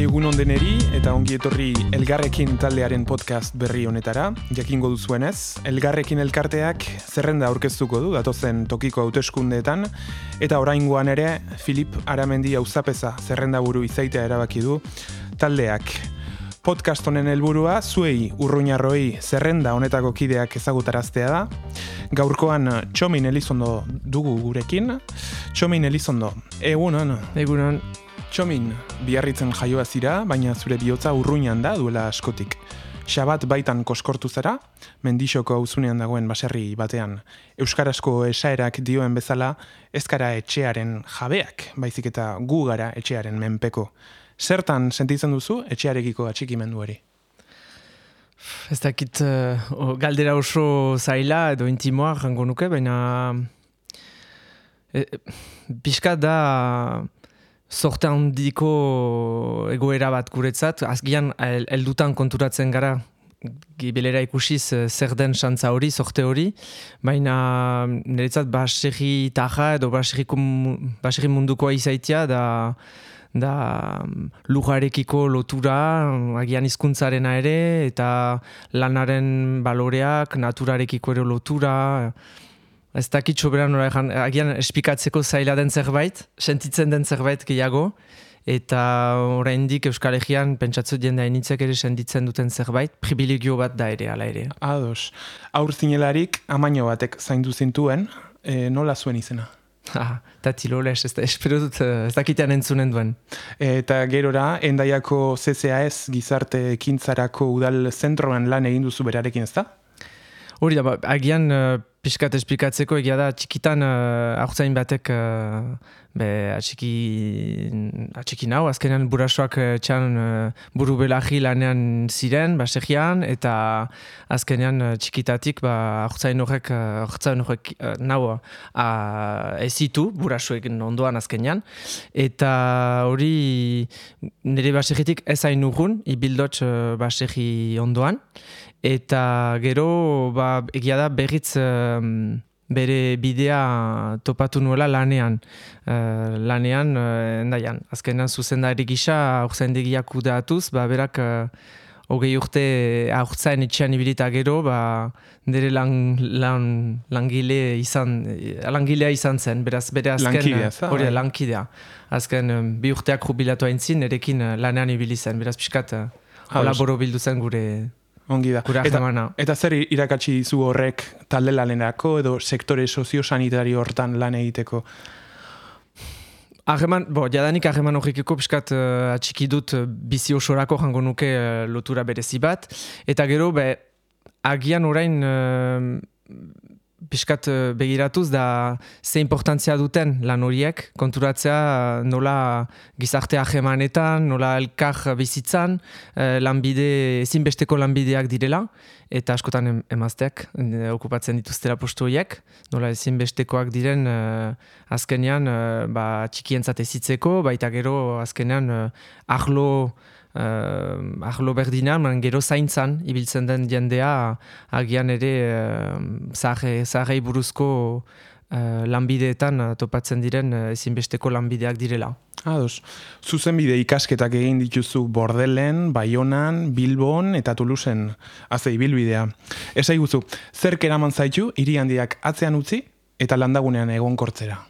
egun ondeneri eta ongi etorri Elgarrekin taldearen podcast berri honetara. Jakingo duzuenez, Elgarrekin elkarteak zerrenda aurkeztuko du datozen tokiko hauteskundeetan eta oraingoan ere Filip Aramendi auzapeza zerrendaburu izaitea erabaki du taldeak. Podcast honen helburua zuei urruñarroi zerrenda honetako kideak ezagutaraztea da. Gaurkoan Txomin Elizondo dugu gurekin. Txomin Elizondo, egunon. Egunon. Txomin, Biarritzen jaioa zira, baina zure bihotza urruñan da duela askotik. Xabat baitan koskortu zara, Mendixoko auzunean dagoen baserri batean. Euskarazko esaerak dioen bezala, ez gara etxearen jabeak, baizik eta gu gara etxearen menpeko. Zertan sentitzen duzu etxearekiko atxikimendu hori? Ez dakit galdera oso zaila edo intimoa jango nuke, baina pixka da sorte handiko egoera bat guretzat. Azgian heldutan konturatzen gara gibelera ikusiz zer den xantza hori, sorte hori, baina niretzat baserri taja edo baserri mundukoa izaitia da lujarekiko lotura, agian hizkuntzarena ere, eta lanaren baloreak, naturarekiko ere lotura. Ez dakit soberan agian espikatzeko zaila den zerbait, sentitzen den zerbait gehiago, eta oraindik Euskal Herrian pentsatzu jende hainitzek ere sentitzen duten zerbait, privilegio bat da ere, ala ere. Ados, aur zinelarik amaino batek zaindu zintuen, nola zuen izena? Tatiloles, espero dut ez dakitean entzunen duen. Eta gerora, Hendaiako CCAS gizarte ekintzarako udal zentroan lan egin duzu berarekin, ez da? Hori da, agian pixkat esplikatzeko egia da, txikitan haurtzain batek atxiki nau, azkenean burasoak txan buru belaji lanean ziren, basegian, eta azkenean txikitatik haurtzain horrek nau ezitu, burasoekin ondoan azkenean, eta hori nire basegitik ez hain urrun, ibildotx basegi ondoan, eta gero egia da berriz bere bidea topatu nuela lanean. Endaian. Azkenan zuzendari gisa haurtzaindegiak kudeatuz, berak 20 urte haurtzain etxean ibilita gero, nire langilea izan zen, beraz bere azken hori lankidea. Azken 2 urteak jubilatu haintzin, erekin lanean ibili zen, beraz pixkat olaboro bildu zen gure... Ongi da. Eta zer irakatsi zu horrek talde lanerako edo sektore soziosanitario hortan lan egiteko? Jadanik harreman horrekiko piskat atxiki dut bizi osorako jango nuke lotura berezi bat. Eta gero, agian orain piskat begiratuz da ze importantzia duten lan horiek, konturatzea nola gizarte harremanetan, nola elkar bizitzan, ezinbesteko lanbideak direla, eta askotan emazteak okupatzen dituztela postu horiek, nola ezinbestekoak diren azkenean txikientzat ezitzeko, baita gero azkenean arlo berdinan, gero zaintzan ibiltzen den jendea agian ere zaharrei buruzko lanbideetan topatzen diren ezinbesteko lanbideak direla. Ados, zuzenbide ikasketak egin dituzu Bordelen, Baionan, Bilbon eta Toulouseen ibilbidea. Esaiguzu, zerk eraman zaitu hiri handiak atzean utzi eta landagunean egonkortzera?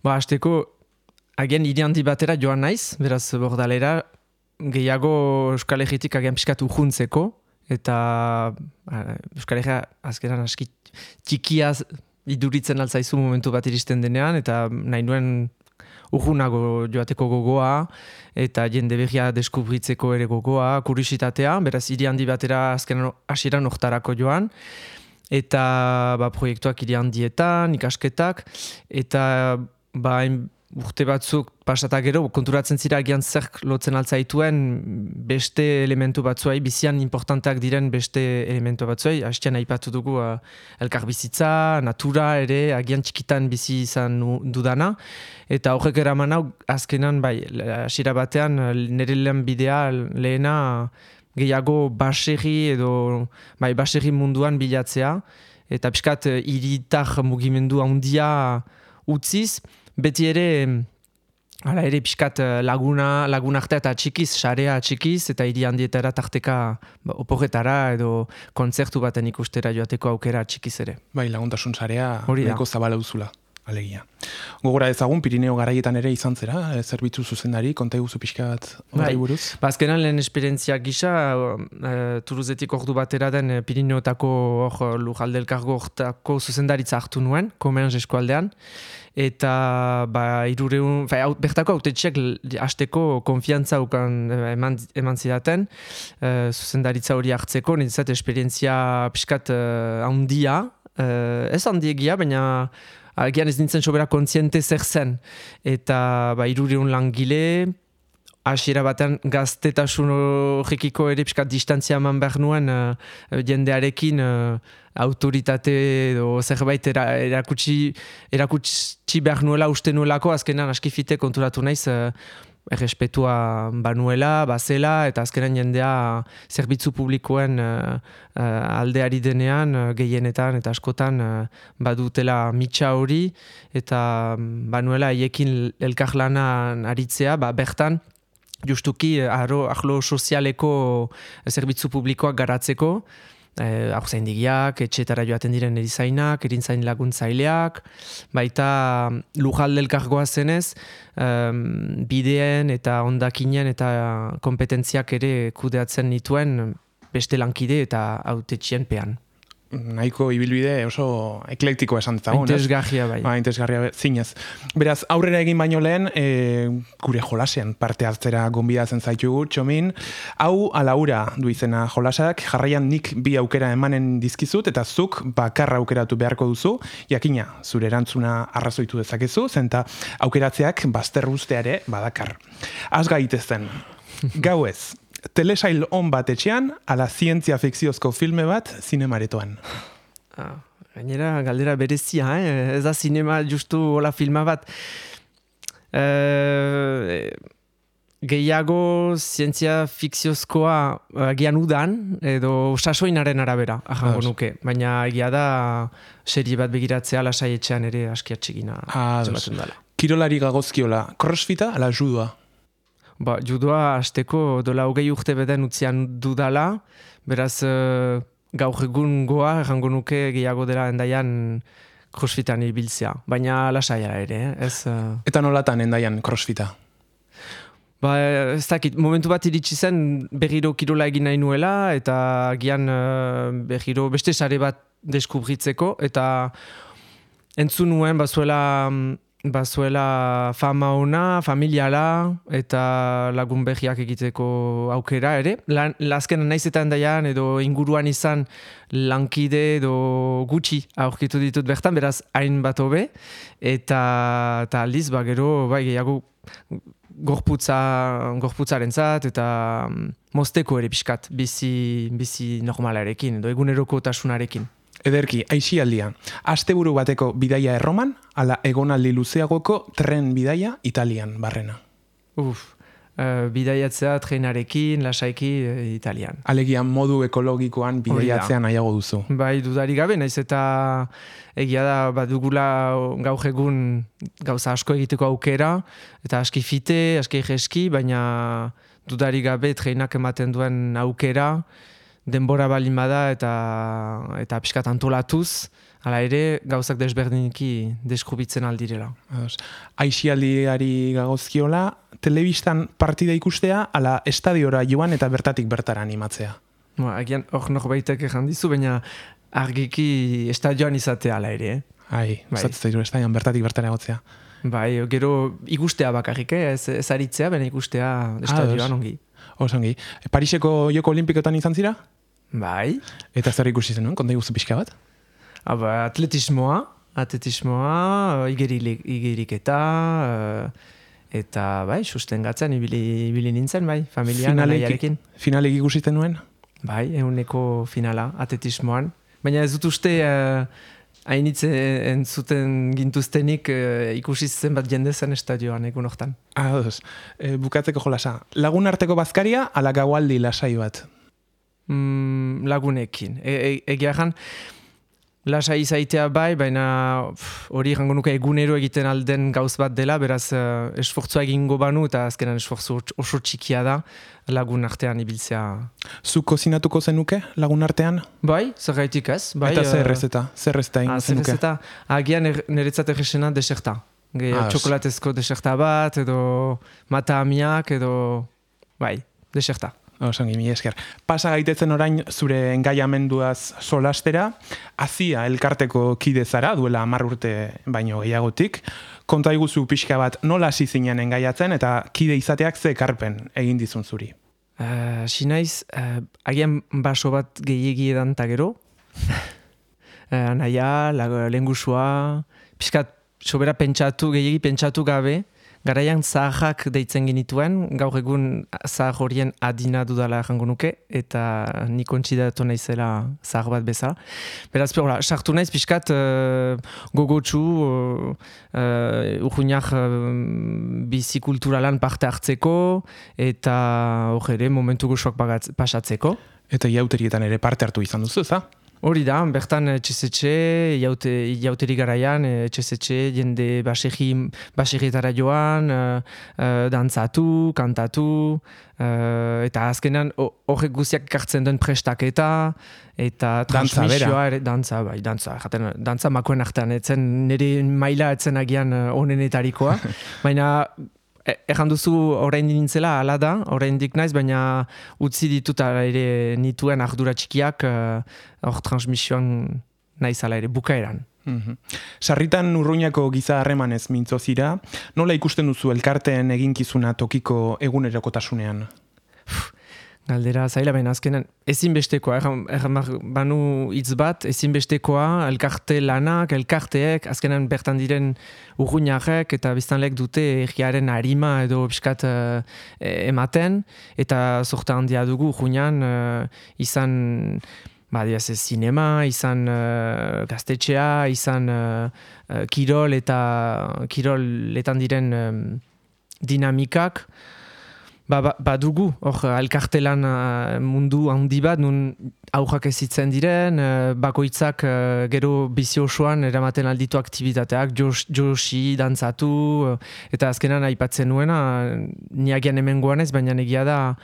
Hasteko agian hiri handi batera joan naiz, beraz Bordalera, gehiago Euskal Herritik agian pixkat urjuntzeko, eta Euskal Herria azkenan aski txikia iduritzen altzaizu momentu bat iristen denean, eta nahi nuen urjunago joateko gogoa, eta jende berria deskubritzeko ere gogoa, kuriositatea, beraz hiri handi batera azkenan hasieran hortarako joan, eta proiektuak hiri handietan, ikasketak, eta urte batzuk pasata gero, konturatzen zira agian zerk lotzen altzaituen beste elementu batzuei, bizian importanteak diren beste elementu batzuei, hastean aipatu dugu elkarbizitza, natura ere, agian txikitan bizi izan dudana, eta horrek eraman hau azkenan, hasiera batean, nire lehen bidea lehena gehiago baserri edo baserri munduan bilatzea, eta pixkat hiritar mugimendu handia utziz, beti ere Hala ere, pixkat lagunartea eta txikiz, sarea txikiz, eta hiri handietara tarteka oporretara edo kontzertu baten ikustera joateko aukera txikiz ere. Bai, laguntasun sarea Hori da. nahiko zabala duzula, alegia. Gogora ezagun, Pirineo garaietan ere izan zera, zerbitzu zuzendari, konta eguzu pixka bat horri buruz? Azkenan lehen esperientziak gisa, Turuzetik ordu batera den Pirineotako lujalde elkargo hortako zuzendaritza hartu nuen, Komenz eskualdean, eta bertako autetxeak hasteko konfiantza eman zidaten zuzendaritza hori hartzeko, nintzat esperientzia pixkat handia, ez handiegia, baina agian ez nintzen sobera kontziente zer zen. Eta 300 langile, hasiera batean gaztetasun horrekiko ere pixkat distantzia eman behar nuen jendearekin autoritate edo zerbait erakutsi behar nuela uste nuelako, azkenan askifite konturatu naiz errespetua banuela, bazela, eta azkenan jendea zerbitzu publikoen aldeari denean, gehienetan eta askotan badutela mitxa hori, eta banuela haiekin elkarlanan aritzea, bertan, justuki arlo sozialeko zerbitzu publikoak garatzeko, haurzaindigiak, etxetara joaten diren erizainak, erinzain laguntzaileak, baita lujalde elkargoa zenez, bideen eta hondakinen eta kompetentziak ere kudeatzen nituen beste lankide eta hautetxien pean. Nahiko ibilbide oso eklektikoa esan dezagun. Interesgarria bai. Interesgarria zinez. Beraz, aurrera egin baino lehen, gure jolasean parte hartzera gonbidatzen zaitugu, Txomin. Hau alaura du izena jolasak, jarraian nik bi aukera emanen dizkizut, eta zuk bakarra aukeratu beharko duzu, jakina, zure erantzuna arrazoitu dezakezu, zenta aukeratzeak bazter usteare badakar. Az gaitezen, gauez, telesail on bat etxean, ala zientzia fikziozko filme bat zinemaretoan. Gainera, galdera berezia, ez da zinema justu hola filma bat. Gehiago zientzia fikziozkoa agian udan, edo sasoinaren arabera, ahango nuke. Baina egia da serie bat begiratzea lasai etxean ere askiatxegina zematen dela. Kirolari gagozkiola, crossfita ala judua? Judoa hasteko dola 20 urte beden utzian dudala, beraz gaur egun goa, errango nuke gehiago dela endaian crossfitan ibiltzea, baina lasaia ere, ez... Eta nolatan endaian crossfita? Ez dakit, momentu bat iritsi zen berriro kirola egin nahi nuela, eta gian berriro beste sare bat deskubritzeko, eta entzun nuen bazuela fama ona, familiala, eta lagun behiak egiteko aukera ere. Azkenan naizetan daian edo inguruan izan lankide edo gutxi aurkitu ditut bertan, beraz hain bat hobe, eta aldiz, gero, gehiago gorputzarentzat eta mozteko ere pixkat, bizi normalarekin, edo egunerokotasunarekin. Ederki, aixialdia. Asteburu bateko bidaia Erroman, ala egonaldi luzeagoko tren bidaia Italian barrena. Bidaiatzea trenarekin, lasaiki Italian. Alegia modu ekologikoan bidaiatzean nahiago duzu. Bai, dudarik gabe, naiz eta egia da badugula gaur egun gauza asko egiteko aukera, eta aski fite, aski jeski, baina dudarik gabe trenak ematen duen aukera, denbora balin bada eta pixkat antolatuz, hala ere gauzak desberdiniki deskubitzen aldirela. Aixialdiari gagozkiola, telebistan partida ikustea, ala estadiora joan eta bertatik bertara animatzea? Agian hor norbaitek ejan dizu, baina argiki estadioan izatea ala ere. Zatzen estadioan bertatik bertara egotzea. Bai, gero ikustea bakarrik, ez aritzea, baina ikustea estadioan ongi. Osongi. Pariseko Joko Olimpikotan izan zira? Bai. Eta zer ikusi zenuen, konta iguzu pixka bat? Atletismoa, igeriketa, eta bai, sustengatzen ibili nintzen, bai, familian, alaiarekin. Finalek ikusi zenuen? Bai, eguneko finala, atletismoan. Baina ez dut uste hainitze entzuten gintuztenik ikusi zen bat jende zen estadioan egun hortan. Bukatzeko jolasa. Lagun arteko bazkaria, ala gaualdi lasai bat? Lagunekin. Egia jan, lasai izaitea bai, baina hori jango nuke egunero egiten alden gauz bat dela, beraz esfortzua egingo banu eta azkenan esfortzu oso txikia da lagun artean ibiltzea. Zuk kozinatuko zenuke lagun artean? Bai, zergaitik ez. Bai, eta zer rezeta ingo zenuke? Zer rezeta, agian niretzat egesena deserta. Txokolatezko deserta bat, edo mata amiak, edo bai, deserta. Osongi, mi esker. Pasa gaitezen orain zure engaiamenduaz solastera, Azia elkarteko kide zara, duela 10 urte baino gehiagotik. Konta iguzu pixka bat nola hasi zinen engaiatzen eta kide izateak ze ekarpen egin dizun zuri? Sinaiz, agian baso bat gehiegi edan ta gero. Naia, lehengusua, pixkat sobera gehiegi pentsatu gabe, garaian zaharrak deitzen genituen, gaur egun zahar horien adina dudala jango nuke, eta ni kontsidatu naizela zahar bat bezala. Beraz, sartu naiz pixkat gogotsu, urruinak bizikulturalan parte hartzeko, eta hor ere momentu gozoak pasatzeko. Eta iauterietan ere parte hartu izan duzu, za? Hori da, bertan etxezetxe, iauteri garaian, etxezetxe, jende baserrietara joan, dantzatu, kantatu, eta azkenan horrek guziak ekartzen den prestaketa, eta transmisioa ere, dantza makoen artean, etzen nire maila etzen agian onenetarikoa, baina erran duzu orain nintzela, ala da, orain dik naiz, baina utzi ditut ere nituen ardura txikiak hor transmisioan naizala ere, bukaeran. Sarritan Urruñako giza harremanez mintzo zira, nola ikusten duzu elkarteen eginkizuna tokiko egunerokotasunean? Galdera zaila, baina azkenan ezinbestekoa, erran banu hitz bat, ezinbestekoa, elkarte lanak, elkarteek, azkenan bertan diren urruñarek eta biztanlek dute erriaren harima edo piskat ematen, eta sorta handia dugu urruñan izan zinema, izan gaztetxea, izan kirol eta kiroletan diren dinamikak, badugu, hor, elkartelan mundu handi bat, nun aurrak ezitzen diren, bakoitzak gero bizi osoan eramaten alditu aktibitateak, josi, dantzatu, eta azkenan aipatzen nuena, niagian hemen goanez, baina egia da,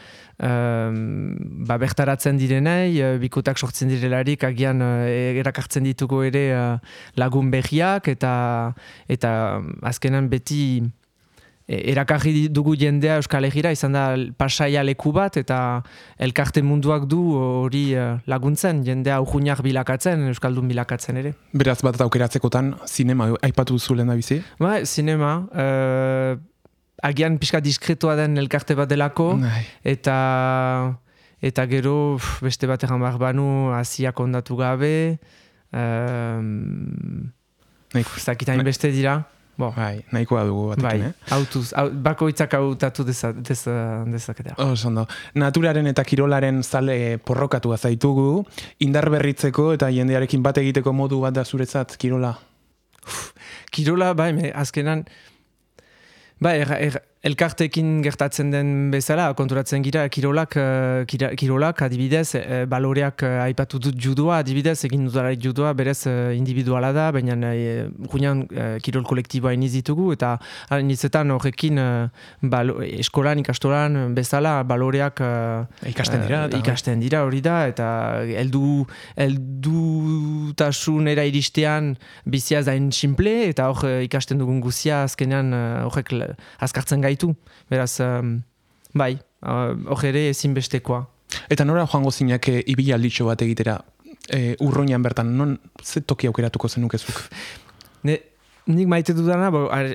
bertaratzen direnei, bikotak sortzen direlarik, agian erakartzen dituko ere lagun behiak, eta azkenan beti erakarri dugu jendea Euskal Herrira, izan da pasaia leku bat, eta elkarte munduak du hori laguntzen, jendea urruñak bilakatzen, Euskaldun bilakatzen ere. Beraz bat aukeratzekotan, zinema aipatu duzu lehen da bizi? Ba, zinema, agian pixka diskretoa den elkarte bat delako, eta gero beste bat egan behar banu Aziak ondatu gabe, zakitain beste dira. Bai, nahikoa dugu batekin, bakoitzak hautatu dezaketa. Ondo. Naturaren eta kirolaren zale porrokatua zaitugu, indar berritzeko eta jendearekin bat egiteko modu bat da zuretzat kirola? Kirola, azkenan, elkartekin gertatzen den bezala, konturatzen gira, kirolak adibidez, baloreak aipatu dut judoa, adibidez, egin dudalarik judoa, berez individuala da, baina gunean kirol kolektiboa iniz ditugu, eta inizetan horrekin eskolan, ikastolan, bezala, baloreak ikasten dira, hori da, eta heldutasuna iristen bizia zain simple, eta hor ikasten dugun guzia azkenean horrek azkartzen gaitu. Beraz, hor ere ezinbestekoa. Eta nora joango zinak ibilalditxo bat egitera Urruñan bertan, non ze toki aukeratuko zenukezuk? Nik maite dudana,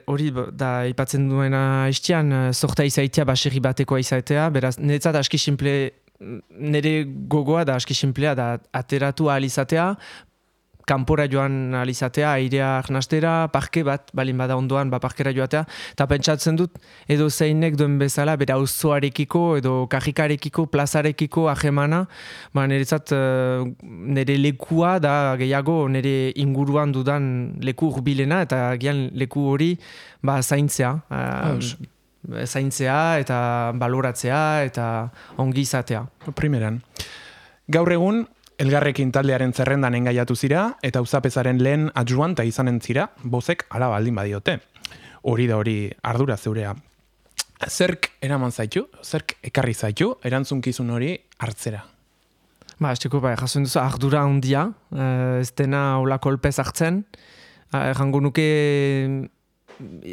hori da ipatzen duena istian, sorta izaitea, baserri batekoa izaitea, beraz, niretzat aski simple, nire gogoa da aski simplea, da ateratu ahal izatea, kanpora joan alizatea, airea arnastera, parke bat, balin bada ondoan, parkera joatea, eta pentsatzen dut, edo zeinek duen bezala, bera auzoarekiko, edo kajikarekiko, plazarekiko, ahemana, niretzat nire lekua da gehiago, nire inguruan dudan leku urbilena, eta gian leku hori zaintzea. Zaintzea, eta baloratzea, eta ongi izatea. Primeran. Gaur egun, Elgarrekin taldearen zerrendan engaiatu zira, eta auzapezaren lehen adjuanta izanen zira, bozek ala baldin badiote. Hori da hori ardura zeurea. Zerk eraman zaitu, zerk ekarri zaitu, erantzunkizun hori hartzera. Esteko, jasoen duzu, ardura handia, ez dena hola kolpez hartzen. Jango nuke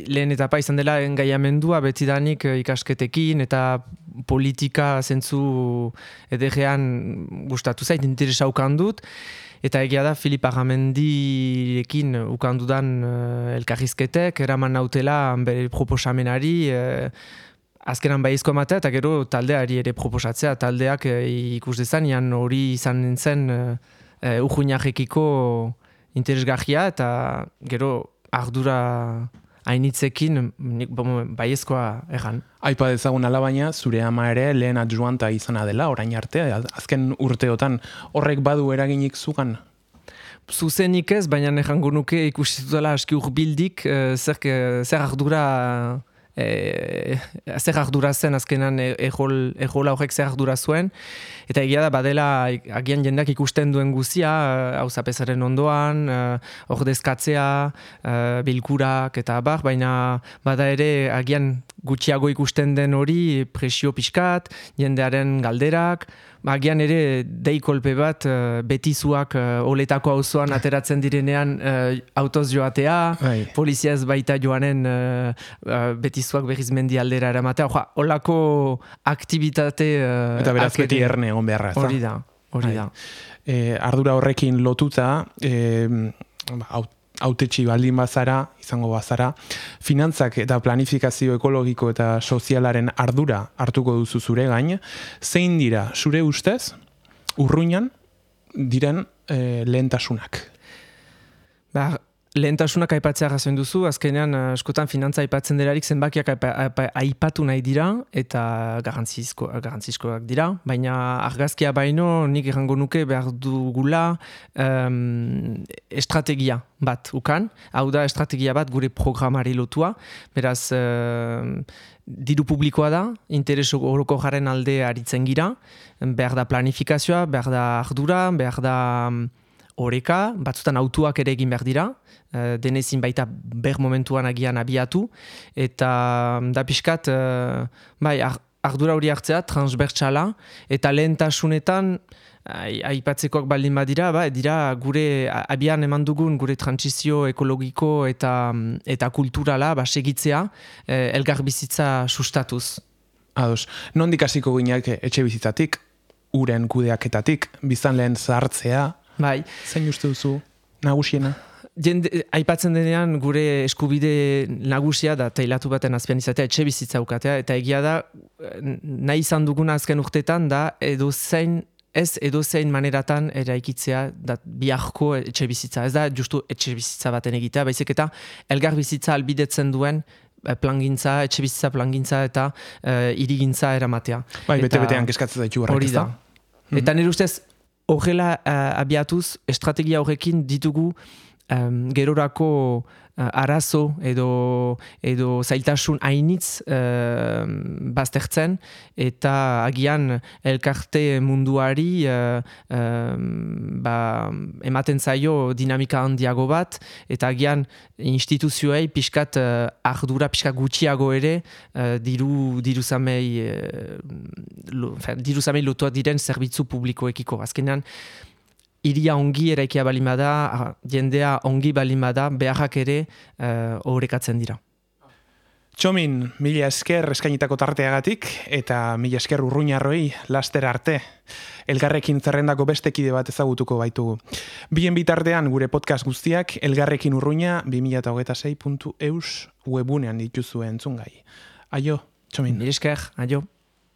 lehen etapa izan dela engaiamendua betidanik ikasketekin eta politika zentzu ederrean gustatu zait, interesa ukandut. Eta egia da, Filip Agamendirekin ukandudan elkarrizketek, eraman nautela bere proposamenari, azkenan baizko ematea, eta gero taldeari ere proposatzea. Taldeak ikus dezan, hori izan nintzen urruinarekiko interesgarria, eta gero ardura hainitzekin baiezkoa egan. Aipa dezagun alabaina, zure ama ere lehen adjuanta izana dela, orain arte, azken urteotan horrek badu eraginik zugan? Zuzenik ez, baina ejango nuke ikusitutela aski urbildik, zer ardura zer ardura zen azkenan ejola horrek zer ardura zuen, eta egia da badela agian jendak ikusten duen guzia, auzapezaren ondoan, ordezkatzea, bilkurak eta abar, baina bada ere agian gutxiago ikusten den hori presio pixkat, jendearen galderak, agian ere deikolpe bat betizuak oletako auzoan ateratzen direnean autoz joatea, polizia ez baita joanen betizuak berriz mendi aldera eramatea. Olako aktivitate eta beraz beti erne egon beharra. Hori da. Ardura horrekin lotuta, hautetsi baldin bazara, izango bazara, finantzak eta planifikazio ekologiko eta sozialaren ardura hartuko duzu zure gain, zein dira zure ustez urruinan diren lehentasunak? Lehentasunak aipatzea gazoen duzu, azkenean askotan finantza aipatzen delarik zenbakiak aipatu nahi dira eta garrantzizkoak dira, baina argazkia baino nik errango nuke behar dugula estrategia bat ukan, hau da estrategia bat gure programari lotua, beraz diru publikoa da, interes orokorraren alde aritzen gira, behar da planifikazioa, behar da ardura, behar da oreka, batzutan autuak ere egin behar dira, denezin baita ber momentuan agian abiatu, eta da pixkat, ardura hori hartzea, transbertsala, eta lehentasunetan, aipatzekoak baldin badira, dira gure abian eman dugun gure transizio ekologiko eta kulturala segitzea elgar bizitza sustatuz. Ados, nondik hasiko ginak etxe bizitzatik, uren kudeaketatik, biztan lehen zahartzea, zein uste duzu nagusiena? Aipatzen denean gure eskubide nagusia da teilatu baten azpian izatea etxe bizitza ukatea, eta egia da nahi izan duguna azken urtetan da edozein maneratan eraikitzea da biharko etxe bizitza. Ez da justu etxe bizitza baten egitea, baizik eta elgar bizitza albidetzen duen plangintza, etxe bizitza plangintza eta hirigintza eramatea. Bete-betean keskatzen zaitu horrek, ez da? Eta nire ustez horrela abiatuz estrategia horrekin ditugu gerorako arazo edo zailtasun hainitz baztertzen, eta agian elkarte munduari ematen zaio dinamika handiago bat, eta agian instituzioei pixkat ardura pixkat gutxiago ere diruzamei lotuak diren zerbitzu publikoekiko. Azkenean, iria ongi eraikia balin bada, jendea ongi balin bada, beharrak ere horrekatzen dira. Txomin, mila esker eskainitako tarteagatik, eta mila esker urruñarroi laster arte. Elgarrekin zerrendako beste kide bat ezagutuko baitugu. Bien bitartean gure podcast guztiak Elgarrekin Urruña 2026.eus webunean dituzue entzungai. Aio, Txomin. Mila esker, aio.